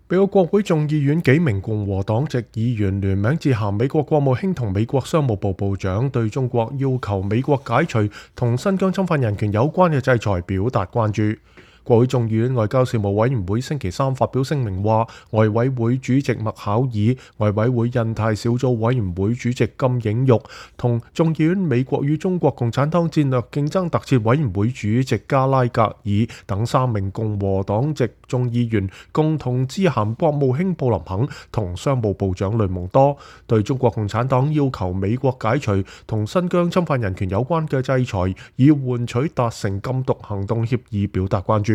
美國國會眾議院幾名共和黨籍議員聯名致函美國國務卿同美國商務部部長，對中國要求美國解除同新疆侵犯人權有關嘅制裁表達關注。國會眾議院外交事務委員會星期三發表聲明話，外委會主席麥考爾、外委會印太小組委員會主席金映玉同眾議院美國與中國共產黨戰略競爭特設委員會主席加拉格爾等3名共和黨籍眾議員共同致函國務卿布林肯同商務部長雷蒙多，對中國共產黨要求美國解除同新疆侵犯人權有關嘅制裁，以換取達成禁毒行動協議表達關注。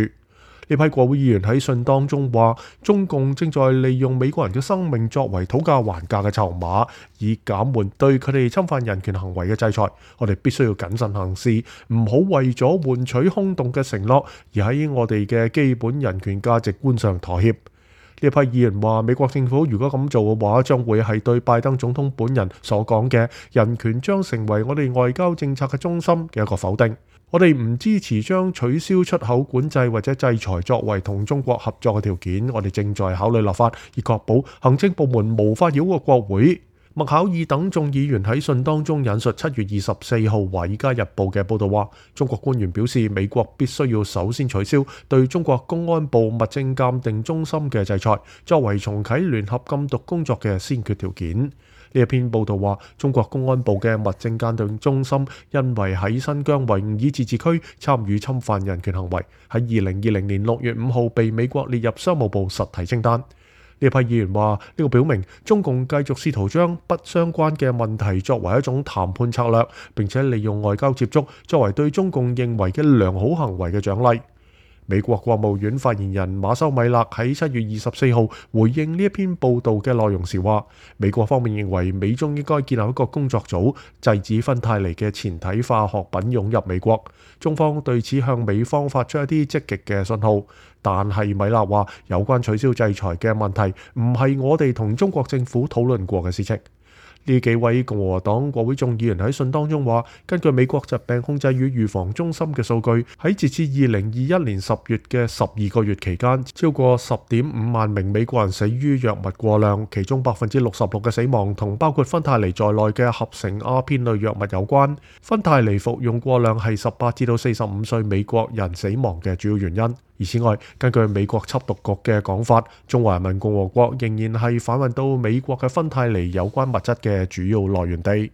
呢批國會議員喺信當中話，中共正在利用美國人嘅生命作為討價還價嘅籌碼，以減緩對佢哋侵犯人權行為嘅制裁。我哋必須要謹慎行事，唔好為咗換取空洞嘅承諾，而喺我哋嘅基本人權價值觀上妥協。呢批議員話，美國政府如果咁做嘅話，將會係對拜登總統本人所講嘅人權將成為我哋外交政策嘅中心嘅一個否定。我哋唔支持將取消出口管制或者制裁作為同中國合作嘅條件。我哋正在考慮立法，以確保行政部門無法繞過國會。麥考爾等眾議員喺信當中引述7月24號《華爾街日報》嘅報導話，中國官員表示美國必須要首先取消對中國公安部物證鑑定中心嘅制裁，作為重啟聯合禁毒工作嘅先決條件。呢一篇報導話，中國公安部嘅物證鑑定中心因為喺新疆維吾爾自治區參與侵犯人權行為，喺2020年6月5號被美國列入商務部實體清單。呢批議員話，呢個表明中共繼續試圖將不相關嘅問題作為一種談判策略，並且利用外交接觸作為對中共認為嘅良好行為嘅獎勵。美國國務院發言人馬修米勒喺7月24號回應呢一篇報導嘅內容時話，美國方面認為美中應該建立一個工作組，制止芬太尼嘅前體化學品湧入美國。中方對此向美方發出一啲積極嘅信號，但係米勒話，有關取消制裁嘅問題唔係我哋同中國政府討論過嘅事情。呢幾位共和黨國會眾議員喺信當中話，根據美國疾病控制與預防中心嘅數據，喺截至2021年10月嘅12個月期間，超過10.5萬名美國人死於藥物過量，其中66%嘅死亡同包括芬太尼在內嘅合成鴉片類藥物有關。芬太尼服用過量係18至到45歲美國人死亡嘅主要原因。而此外，根據美國緝毒局嘅講法，中華人民共和國仍然係販運到美國嘅芬太尼有關物質嘅主要來源地。